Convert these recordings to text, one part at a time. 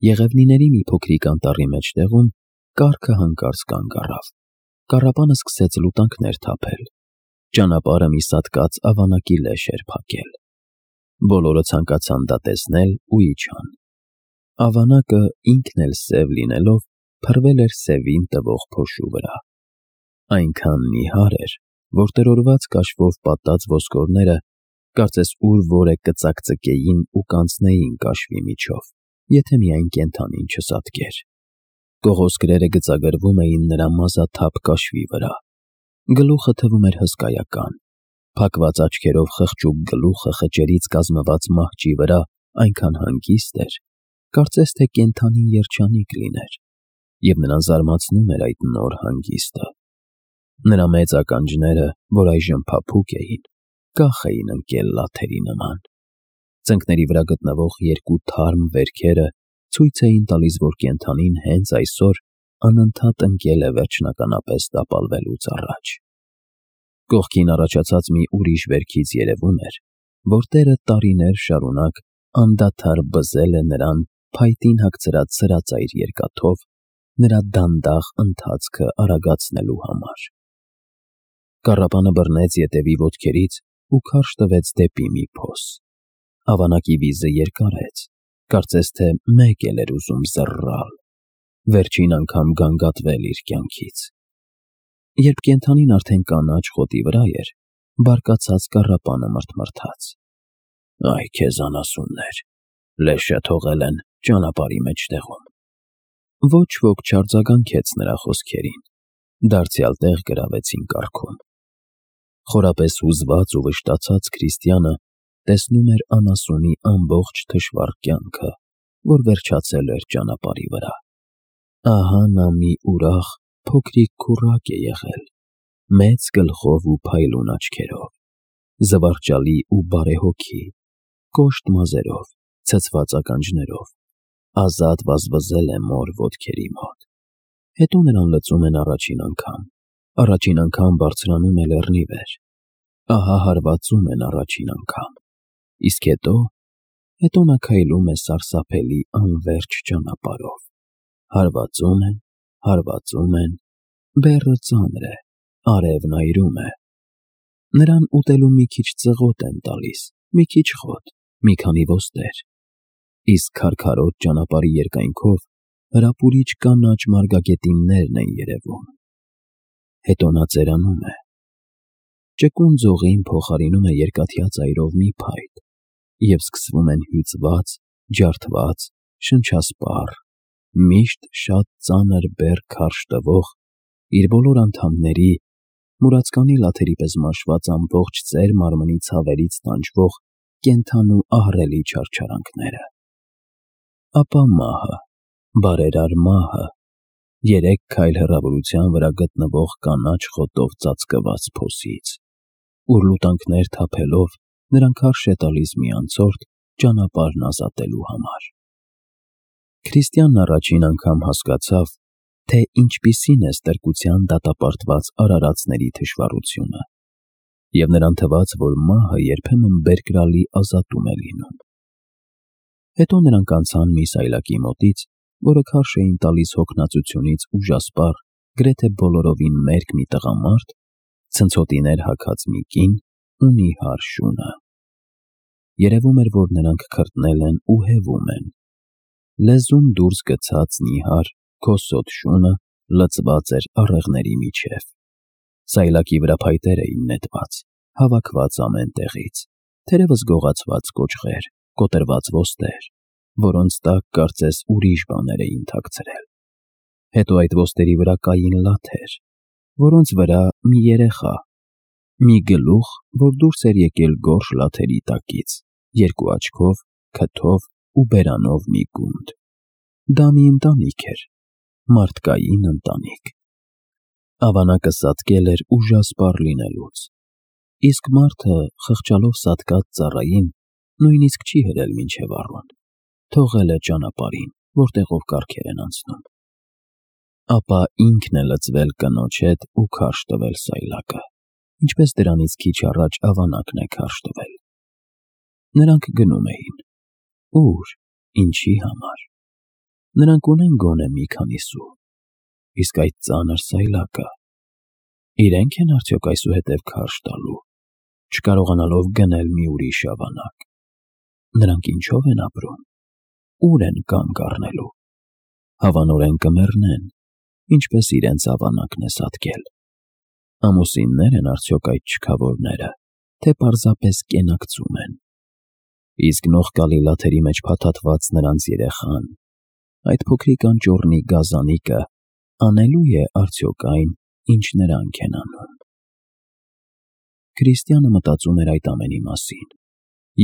Եղևնիների մի փոքրիկ անտառի մեջտեղում կառքը հանկարծ կանգ առավ։ Կառապանը սկսեց լուտանքներ թափել։ Ճանապարհը մի սատկած ավանակի լեշ էր փակել։ Բոլորը ցանկացան դա տեսնել ու իջան։ Ավանակը, ինքն էլ սև լինելով, փռվել էր սևին տվող փոշու վրա։ Այնքան նիհար էր, որ տրորված կաշվով պատած ոսկորները կարծես ուր որե կծակծկեին ու կանցնեին կաշվի միջով, եթե միայն կենդանին չսատկեր։ Կողոսկրերը գծագրվում էին նրա մազաթափ կաշվի վրա։ Գլուխը թվում էր հսկայական։ Փակված աչքերով խղճուկ գլուխը խճերից կազմված մահճի վրա այնքան հանգիստ էր, կարծես թե կենդանին երջանիկ լիներ, և նրան զարմացնում էր այդ նոր հանգիստը։ Նրա մեծ ականջները, որ այժմ փափուկ էին, կախ էին ընկել լաթերի նման։ Ծնկների վրա գտնվող երկու թարմ վերքերը ցույց էին տալիս, որ կենդանին հենց այսօր անընդհատ ընկել է վերջնականապես տապալվելուց առաջ։ Կողքին առաջացած մի ուրիշ վերքից երևում էր, որ տերը տարիներ շարունակ անդադար բզել է նրան փայտին հագցրած սրածայր երկաթով նրա դանդաղ ընթացքը արագացնելու համար։ Կառապանը բռնեց ետևի ոտքերից ու քարշ տվեց դեպի մի փոս։ Ավանակի վիզը երկարեց, կարծես թե մեկ էլ էր ուզում զռռալ, վերջին անգամ գանգատվել իր կյանքից։ Երբ կենդանին արդեն կանաչ խոտի վրա էր, բարկացած կառապանը մռթմռթաց. «Այ քեզ անասուններ, լեշը թողել են ճանապարհի մեջտեղում»։ Ոչ ոք չարձագանքեց նրա խոսքերին, դարձյալ տեղ գրավեցին կառքում։ Խորապես հուզված ու վշտացած Քրիստիանը տեսնում էր անասունի ամբողջ թշվառ կյանքը, որ վերջացել էր ճանապարհի վրա։ Ահա նա մի ուրախ, փոքրիկ քուռակ է եղել, մեծ գլխով ու փայլուն աչքերով, զվարճալի ու բարեհոգի, կոշտ մազերով, ցցված ականջներով, ազատ վազվզել է մոր ոտքերի մոտ։ Հետո նրան լծում են առաջին անգամ բարձրանում է լեռնի վեր, ահա հարվածում են առաջին անգամ, իսկ հետո նա քայլում է սարսափելի անվերջ ճանապարհով, հարվածում են, բեռը ծանր է, արևն այրում է։ Նրան ուտելու մի քիչ ծղոտ են տալիս, մի քիչ խոտ, մի քանի ոստեր, իսկ քարքարոտ ճանապարհի երկայնքով հրապուրիչ կանաչ մարգագետիններն են երևում։ Հետո նա ծերանում է։ Ճկուն ձողին փոխարինում է երկաթյա ծայրով մի փայտ, և սկսվում են հյուծված, ջարդված, շնչասպառ, միշտ շատ ծանր բեռ քարշ տվող, իր բոլոր անդամների, մուրացկանի լաթերի պես մաշված ամբողջ ծեր մարմնի ցավերից տանջվող կենդանու ահռելի չարչարանքները։ Ապա մահը, բարերար մահը, 3 քայլ հեռավորության վրա գտնվող կանաչ խոտով ծածկված փոսից, ուր լուտանքներ թափելով նրան քարշ է տալիս մի անցորդ ճանապարհն ազատելու համար։ Քրիստիանն առաջին անգամ հասկացավ, թե ինչպիսին է ստրկության դատապարտված արարածների թշվառությունը, և նրան թվաց, որ մահը երբեմն բերկրալի ազատում է լինում։ Հետո նրանք անցան մի սայլակի մոտից, որը քարշ էին տալիս հոգնածությունից ուժասպառ, գրեթե բոլորովին մերկ մի տղամարդ, ցնցոտիներ հագած մի կին ու նիհար շունը։ Երևում էր, որ նրանք քրտնել են ու հևում են։ Լեզուն դուրս գցած նիհար, քոսոտ շունը լցված էր առեղների միջև։ Սայլակի վրա փայտեր էին նետված, հավաքված ամեն տեղից, թերևս գողացված կոճղեր, կոտրված ոստեր, որոնց տակ կարծես ուրիշ բաներ էին թաքցրել։ Հետո այդ ոստերի վրա կային լաթեր, որոնց վրա մի երեխա, մի գլուխ, որ դուրս էր եկել գորշ լաթերի տակից, 2 աչքով, քթով ու բերանով մի գունդ։ Դա մի ընտանիք էր, մարդկային ընտանիք։ Ավանակը սատկել էր ուժասպառ լինելուց, իսկ մարդը, խղճալով սատկած ծառային, նույնիսկ չի հրել մինչև առուն, թողել է ճանապարհին, որտեղով կառքեր են անցնում։ Ապա ինքն է լծվել կնոջ հետ ու քարշ տվել սայլակը, ինչպես դրանից քիչ առաջ ավանակն է քարշ տվել։ Նրանք գնում էին։ Ուր, ինչի համար։ Նրանք ունեն գոնե մի քանի սու, իսկ այդ ծանր սայլակը, իրենք են արդյոք այսուհետև քարշ տալու, չկարողանալով գնել մի ուրիշ ավանակ։ Նրանք ինչով են ապրում, ուր են կանգ առնելու, հավանորեն կմեռնեն, ինչպես իրենց ավանակն է սատկել։ Ամուսիններ են արդյոք այդ չքավորները, թե պարզապես կենակցում են։ Իսկ նողկալի լաթերի մեջ փաթաթված նրանց երեխան, այդ փոքրիկ անճոռնի գազանիկը, անելու է արդյոք այն, ինչ նրանք են անում։ Քրիստիանը մտածում էր այդ ամենի մասին,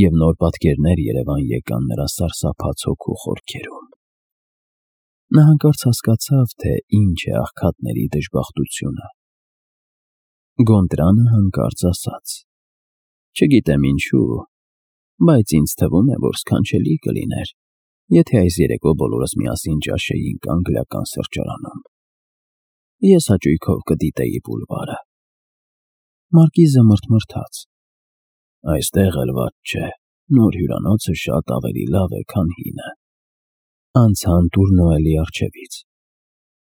և նոր պատկերներ երևան եկան նրա սարսափած հոգու խորքերում։ Նա հանկարծ հասկացավ, թե ինչ է աղքատների դժբախտությունը։ Գոնտրանը հանկարծ ասաց. «Չգիտեմ ինչու, բայց ինձ թվում է, որ սքանչելի կլիներ, եթե այս երեկո բոլորս միասին ճաշեինք անգլիական սրճարանում։ Ես հաճույքով կդիտեի բուլվարը»։ Մարկիզը մռթմռթաց. «Այստեղ էլ վատ չէ, նոր հյուրանոցը շատ ավելի լավ է, քան հինը»։ Անցան Տուրնոելի առջևից։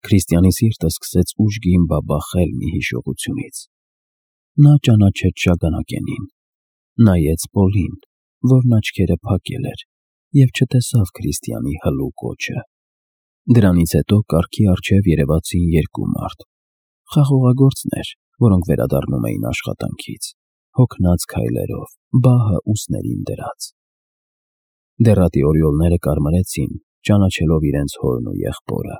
Քրիստիանի սիրտը սկսեց ուժգին բաբախել մի հիշողությունից։ Նա ճանաչեց Շագանակենին, նայեց Պոլին, որն աչքերը փակել էր, և չտեսավ Քրիստիանի հլու կոչը։ Դրանից հետո կառքի առջև երևացին երկու մարդ, խաղողագործներ, որոնք վերադառնում էին աշխատանքից, հոգնած քայլերով, բահը ուսներին դրած։ Դեռատի օրիոլները կարմրեցին, ճանաչելով իրենց հորն ու եղբորը,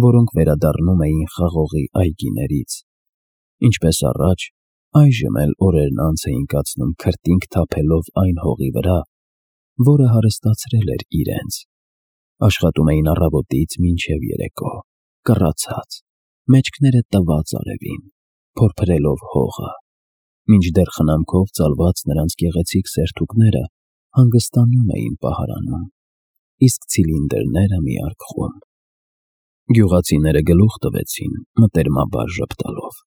որոնք վերադառնում էին խաղողի այգիներից։ Ինչպես առաջ, այժմ էլ օրերն անց էին կացնում քրտինք թափելով այն հողի վրա, որը հարստացրել էր իրենց։ Աշխատում էին առավոտից մինչև երեկո, կռացած, մեջքները տված արևին, փորփրելով հողը, մինչդեռ խնամքով ծալված նրանց գեղեցիկ սերթուկները հանգստանում էին պահարանում, իսկ ցիլինդրները միարկղում։ Գյուղացիները գլուխ տվեցին, մտերմաբար ժպտալով,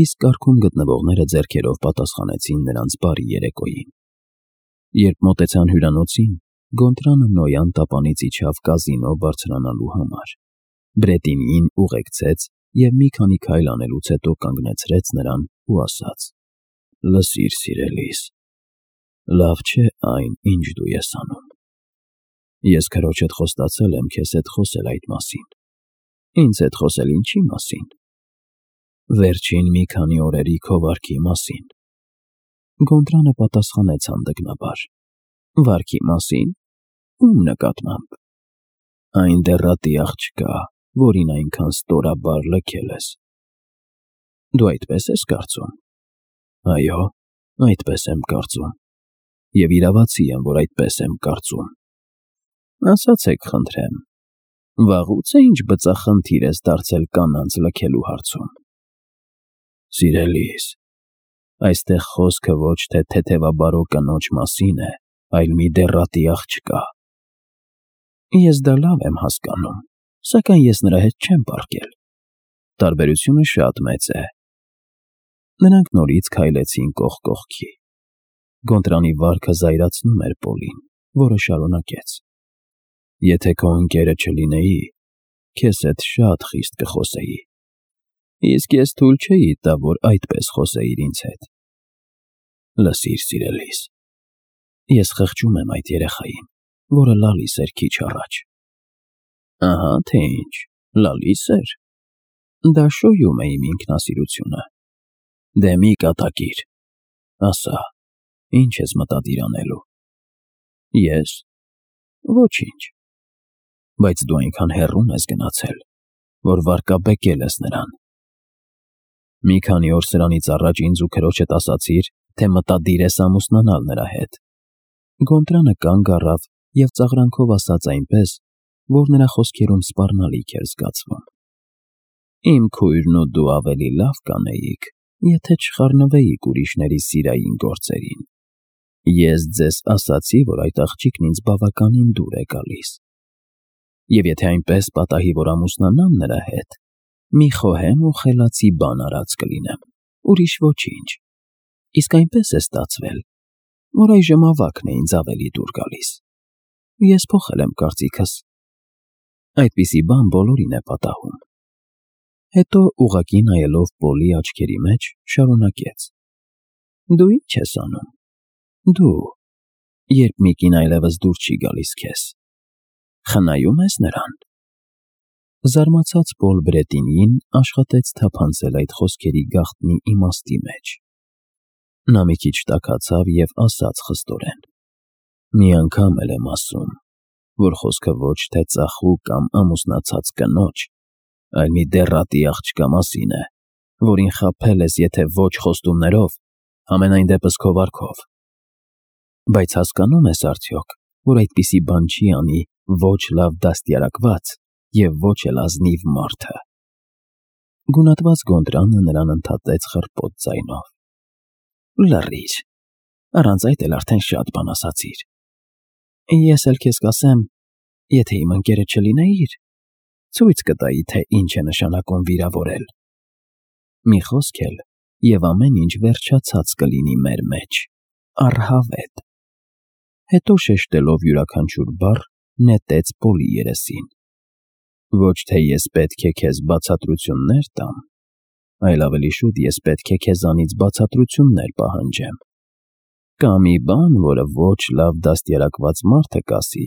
իսկ կառքում գտնվողները ձեռքերով պատասխանեցին նրանց բարի երեկոյին։ Երբ մոտեցան հյուրանոցին, Գոնտրանը նոյան տապանից իջավ կազինո բարձրանալու համար։ Բրետինին ուղեկցեց և մի քանի քայլ անելուց հետո կանգնեցրեց նրան ու ասաց. «Լսիր, սիրելիս, լավ չէ այն, ինչ դու ես անում։ Ես քրոջդ խոստացել եմ քեզ հետ խոսել այդ մասին։ Ինձ հետ խոսել ինչի մասին։ Վերջին մի քանի օրերի քո վարքի մասին»։ Գոնտրանը պատասխանեց հանդգնաբար. «Վարքի մասին։ Ում նկատմամբ»։ «Այն դեռատի աղջկա, որին այնքան ստորաբար լքել ես»։ «Դու այդպես ես կարծում»։ «Այո, այդպես եմ կարծում, և իրավացի եմ, որ այդպես եմ կարծում»։ «Ասացեք, խնդրեմ, վաղուց է ինչ բծախնդիր ես դարձել կանանց լքելու հարցում»։ «Սիրելիս, այստեղ խոսքը ոչ թե թեթևաբարո կնոջ մասին է, այլ մի դեռատի աղջկա»։ «Ես դա լավ եմ հասկանում, սակայն ես նրա հետ չեմ պառկել։ Տարբերությունը շատ մեծ է»։ Նրանք նորից քայլեցին կողք կողքի։ Գոնտրանի վարքը զայրացնում էր Պոլին, որը շարունակեց. «Եթե քո ընկերը չլինեի, քեզ հետ շատ խիստ կխոսեի, իսկ ես թույլ չէի տա, որ այդպես խոսեիր ինձ հետ։ Լսիր, սիրելիս, ես խղճում եմ այդ երեխային, որը լալիս էր քիչ առաջ»։ «Ահա թե ինչ, լալիս էր։ Դա շոյում է իմ ինքնասիրությունը։ Դե մի կատակիր, ասա, ինչ ես մտադիր անելու»։ «Ես։ Ոչինչ։ Բայց դու այնքան հեռուն ես գնացել, որ վարկաբեկել ես նրան։ Մի քանի օր սրանից առաջ ինձ ու քրոջդ ասացիր, թե մտադիր ես ամուսնանալ նրա հետ»։ Գոնտրանը կանգ առավ և ծաղրանքով ասաց այնպես, որ նրա խոսքերում սպառնալիք էր զգացվում. «Իմ քույրն ու դու ավելի լավ կանեիք, եթե չխառնվեիք ուրիշների սիրային գործերին։ Ես ձեզ ասացի, որ այդ աղջիկն ինձ բավականին դուր է գալիս։ Եվ եթե այնպես պատահի, որ ամուսնանամ նրա հետ, մի խոհեմ ու խելացի բան արած կլինեմ, ուրիշ ոչինչ։ Իսկ այնպես է ստացվել, որ այժմ ավագն է ինձ ավելի դուր գալիս։ Ես փոխել եմ կարծիքս»։ Այդպիսի բան բոլորին է պատահում։ Հետո ուղղակի նայելով Պոլի աչքերի մեջ, շարունակեց. Դու ի՞նչ ես անում։ Դու, երբ մի կին այլևս դուր չի գալիս քեզ, խնայում ես նրան։ Զարմացած Պոլ Բրետինին աշխատեց թափանցել այդ խոսքերի գաղտնի իմաստի մեջ։ Նա մի քիչ տաքացավ և ասաց խստորեն. Մի անգամ էլ եմ ասում, որ խոսքը ոչ թե ծախու կամ ամուսնացած կնոջ, այլ մի դեռատի աղջկա մասին է, որին խաբել ես եթե ոչ խոստումներով, համենայն դեպս քո վարքով։ Բայց հասկանո՞ւմ ես արդյոք, որ այդպիսի բան չի անի ոչ լավ դաստիարակված և ոչ էլ ազնիվ մարդը։ Գունատված Գոնդրանը նրան ընդհատեց խռպոտ ձայնով. Լռիր, առանց այդ էլ արդեն շատ բան ասացիր։ Ես էլ քեզ կասեմ, եթե իմ ընկերը չլինեիր, ցույց կտայի, թե ինչ է նշանակում վիրավորել։ Մի խոսք էլ, և ամեն ինչ վերջացած կլինի մեր մեջ, առհավետ։ Հետո շեշտելով յուրաքանչյուր բառ, նետեց Պոլի երեսին. Ոչ թե ես պետք է քեզ բացատրություններ տամ, այլ ավելի շուտ ես պետք է քեզանից բացատրություններ պահանջեմ։ Կա մի բան, որը ոչ լավ դաստիարակված մարդը կասի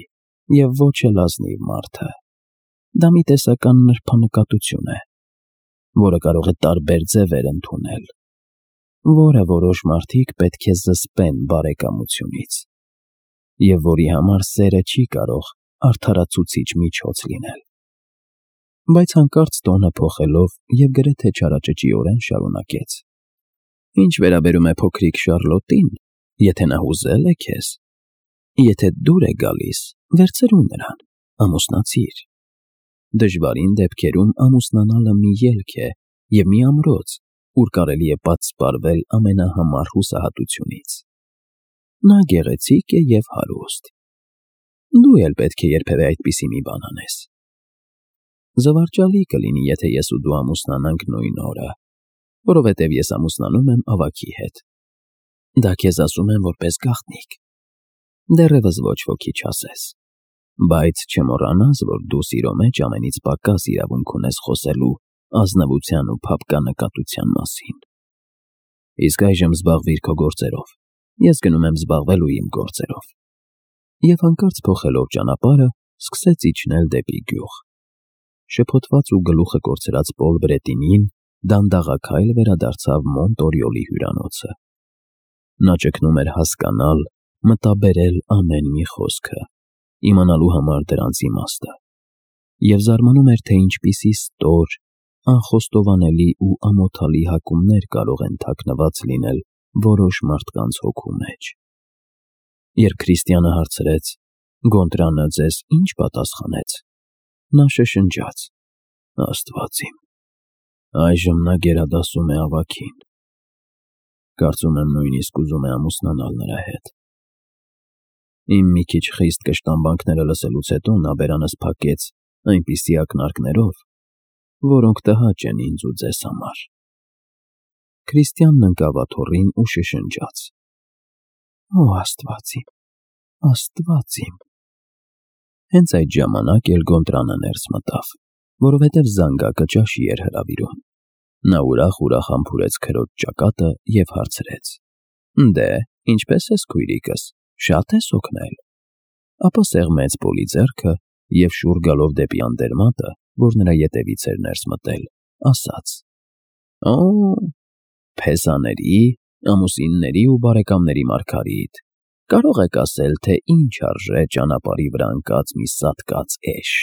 և ոչ էլ ազնիվ մարդը։ Դա մի տեսական նրբանկատություն է, որը կարող է տարբեր ձևեր ընդունել, որը որոշ մարդիկ պետք է զսպեն բարեկամությունից, և որի համար սերը չի կարող արդարացուցիչ միջոց լինել։ Բայց հանկարծ տոնը փոխելով և գրեթե չարաճճիորեն շարունակեց. Ինչ վերաբերում է փոքրիկ Շառլոտին, եթե նա հուզել է քեզ, եթե դուր է գալիս, վերցրու նրան, ամուսնացիր։ Դժվարին դեպքերում ամուսնանալը մի ելք է և մի ամրոց, ուր կարելի է պատսպարվել ամենահամար հուսահատությունից։ Նա գեղեցիկ է և հարուստ։ Դու էլ պետք է երբևէ այդպիսի մի բան անես։ Զվարճալի կլինի, եթե ես ու դու ամուսնանանք նույն օրը, որովհետև ես ամուսնանում եմ ավագի հետ։ Դա քեզ ասում եմ որպես գաղտնիք։ Դեռևս ոչ ոքի չասես։ Բայց չմոռանաս, որ դու սիրո մեջ ամենից պակաս իրավունք ունես խոսելու ազնվության ու փափկանկատության մասին։ Իսկ այժմ զբաղվիր քո գործերով։ Ես գնում եմ զբաղվելու իմ գործերով։ Եվ հանկարծ փոխելով ճանապարհը, սկսեց իջնել դեպի գյուղ։ Շփոթված ու գլուխը կորցրած Պոլ Բրետինին դանդաղաքայլ վերադարձավ Մոնտորյոլի հյուրանոցը։ Նա ճգնում էր հասկանալ, մտաբերել ամեն մի խոսքը, իմանալու համար դրանց իմաստը, և զարմանում էր, թե ինչպիսի ստոր, անխոստովանելի ու ամոթալի հակումներ կարող են թաքնված լինել որոշ մարդկանց հոգու մեջ։ Երբ Քրիստիանը հարցրեց. Գոնդրանը ձեզ ի՞նչ պատասխանեց, նա շշնջաց. Աստված իմ, այժմ նա գերադասում է ավագին։ Կարծում եմ նույնիսկ ուզում է ամուսնանալ նրա հետ։ Իմ մի քիչ խիստ կշտամբանքները լսելուց հետո նա բերանս փակեց այնպիսի ակնարկներով, որոնք տհաճ են ինձ ու ձեզ համար։ Քրիստիանն ընկավ աթոռին ու շշնջաց. Օ Աստված իմ, Աստված իմ։ Հենց այդ ժամանակ էլ Գոնդրանը ներս մտավ, որովհետև զանգակը ճաշի էր հրավիրում։ Նա ուրախ համբուրեց քրոջ ճակատը և հարցրեց. Դե, ինչպե՞ս ես քույրիկս, շատ ես օգնել։ Ապա սեղմեց Պոլի ձեռքը և շուռ գալով դեպի անտերմատը, որ նրա ետևից էր ներս մտել, ասաց. Օ, փեզաների, ամուսինների ու բարեկամների Մարգարիտ, կարող եք ասել, թե ինչ արժե ճանապարհի վրա ընկած մի սատկած էշ։